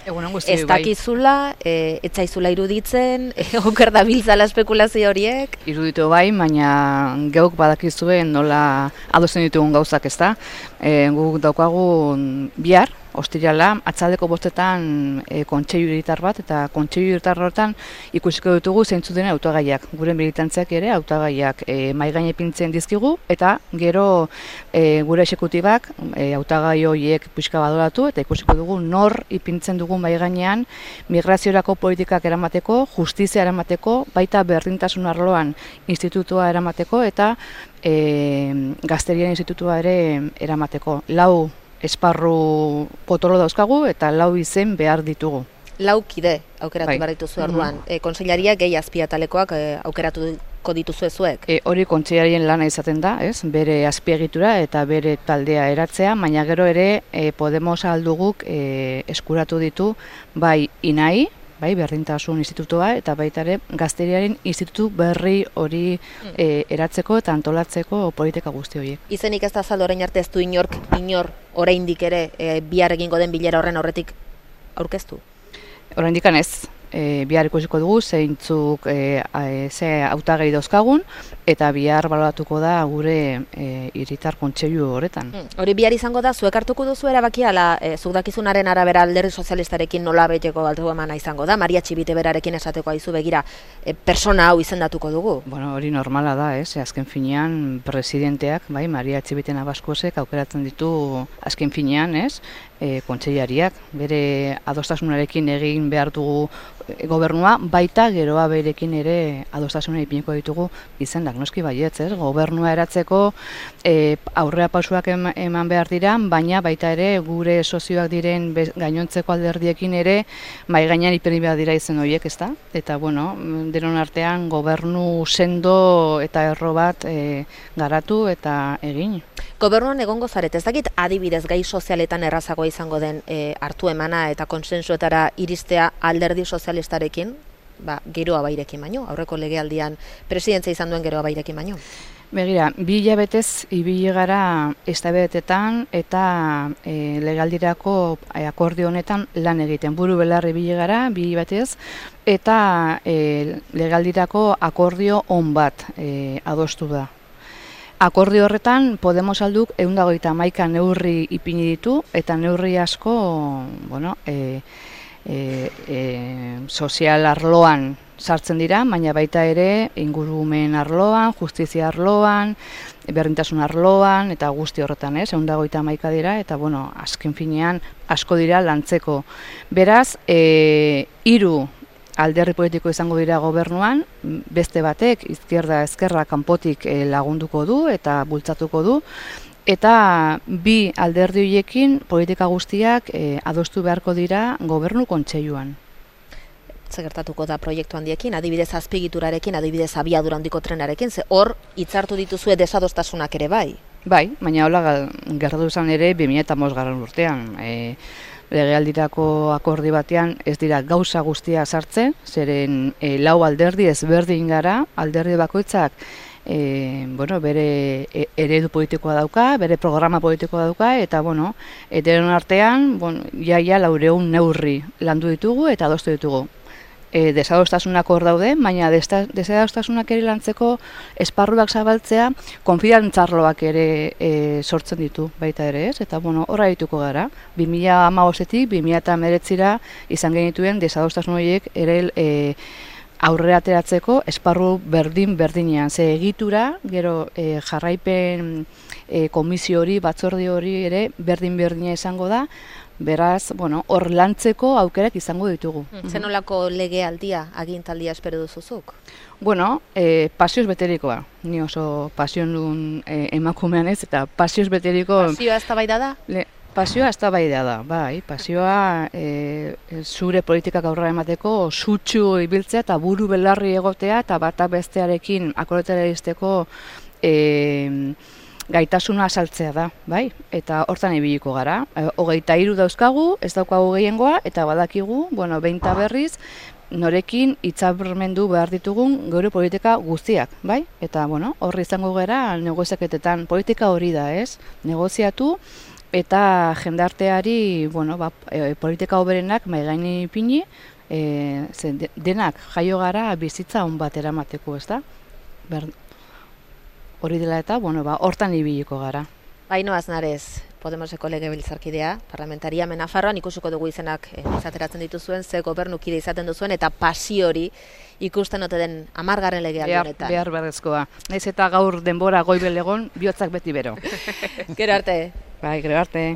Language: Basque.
Egunon guztioi, Ez dakizula, etzaizula iruditzen, oker da biltzala espekulazio horiek. Iruditu bai, baina geuk badakizue nola adosten ditugun gauzak, ezta? Guk daukagu bihar, ostirala, atzaldeko 5etan kontseilu hiritar bat, eta kontseilu hiritar horretan ikusiko ditugu zeintzuk diren hautagaiak. Gure militantziak ere hautagaiak mahai gaine ipintzen dizkigu, eta gero gure exekutibak hautagai horiek pixka badoratu, eta ikusiko dugu nor ipintzen dugu mahai gainean migraziorako politikak eramateko, justizia eramateko, baita berdintasun arloan institutua eramateko, eta gazterian institutua ere eramateko. 4 esparru potolo dauzkagu eta 4 izen behar ditugu. 4 kide aukeratu behar dituzu orduan. Kontseilariak gehi azpiatalekoak aukeratuko dituzu zuek. Hori kontseilarien lana izaten da, ez? Bere azpiegitura eta bere taldea eratzea, baina gero ere Podemos alduguk eskuratu ditu bai INAI, bai, berdintasun institutua, eta baita ere gazteriaren institutu berri hori eratzeko eta antolatzeko politika guzti horiek. Izenik ez da azaldu orain arte ez du inor oraindik ere bihar egingo den bilera horren aurretik aurkeztu? Oraindik ez. Bihar ikusiko dugu zeintzuk ze hautagai dauzkagun, eta bihar baloratuko da gure hiritar kontseilu horretan. Hori bihar izango da, zuek hartuko duzu erabakia, zuk dakizunaren arabera Alderdi Sozialistarekin nola beteko altu emana izango da, Maria Txibite berarekin esateko aizu begira, persona hau izendatuko dugu? Bueno, hori normala da, azken finean presidenteak, bai, Maria Txibite Nabaskosek aukeratzen ditu azken finean, kontseilariak, bere adostasunarekin egin behar dugu gobernua, baita geroa berekin ere adostasuna ipiniko ditugu izendak, noski baietz, gobernua eratzeko aurrera pausuak eman behar dira, baina baita ere gure sozioak diren gainontzeko alderdiekin ere mahai gainean ipini behar dira izen horiek, ezta? Eta bueno, denon artean gobernu sendo eta erro bat garatu eta egin. Gobernuan egongo zaret, ez dakit adibidez gai sozialetan errazagoa izango den hartu emana eta konsensuetara iristea Alderdi Sozialistarekin, geroa bairekin baino, aurreko legealdian presidentzia izan duen geroa bairekin baino. Begira, 2 hilabetez ibili gara eztabaidetan eta legaldirako akordio honetan lan egiten. Buru belarri ibili gara 2 hilabetez eta legaldirako akordio on bat adostu da. Akordio horretan Podemos alduk 151 neurri ipini ditu, eta neurri asko, bueno, sozial arloan sartzen dira, baina baita ere ingurumen arloan, justizia arloan, berdintasun arloan, eta guzti horretan, 151 dira, eta bueno, azken finean asko dira lantzeko. Beraz, 3 alderdi politiko izango dira gobernuan, beste batek izquierda-ezkerra kanpotik lagunduko du eta bultzatuko du, eta 2 alderdi horiekin politika guztiak adostu beharko dira gobernu kontseiluan. Zer gertatuko da proiektu handiekin, adibidez azpiegiturarekin, adibidez abiadura handiko trenarekin, ze hor hitzartu dituzue desadostasunak ere bai? Bai, baina hola gertatu zen ere 2005 urtean. Legealdirako akordi batean ez dira gauza guztia sartzen, zeren 4 alderdi ezberdin gara, alderdi bakoitzak bere eredu politikoa dauka, bere programa politikoa dauka, eta denon artean jaia 400 neurri landu ditugu eta adostu ditugu. Desadostasunak hor daude, baina desadostasunak ere lantzeko esparruak zabaltzea konfidantzarloak ere sortzen ditu baita ere, ez? Eta horra dituko gara. 2015-etik 2019 izan genituen desadostasun horiek ere aurrera ateratzeko esparru berdinean. Ze egitura, gero jarraipen komisio hori, batzorde hori ere berdina izango da, beraz, hor lantzeko aukerak izango ditugu. Zenolako legealdia, agintaldia espero duzuzuk? Pasioz beterikoa. Ni oso pasion duen emakumean ez, eta pasioz beteriko... Pasioa eztabaida da? Pasioa eztabaida da, bai. Pasioa zure politikak aurrera emateko sutsu ibiltzea eta buru belarri egotea eta bata bestearekin akordetara iristeko gaitasuna azaltzea da, bai? Eta hortan ibiliko gara. 23 dauzkagu, ez daukagu gehiengoa, eta badakigu, behin eta berriz, norekin hitzarmendu behar ditugun geure politika guztiak, bai? Eta, horri izango gara negoziaketetan politika hori da, ez? Negoziatu eta jendarteari, bueno, politika hoberenak mai gaini ipini, denak jaio gara bizitza on bat eramateko, ezta? Hori dela eta, bueno, hortan ibiliko gara. Ainhoa Aznarez, Podemoseko legebiltzarkidea, parlamentaria Nafarroan, ikusiko dugu izenak izateratzen dituzuen, ze gobernukide izaten duzuen, eta pasio hori ikusten ote den 10. legealdi honetan. Behar beharrezkoa. Naiz eta gaur denbora goibel egon, bihotzak beti bero. Gero arte. Bai, gero arte.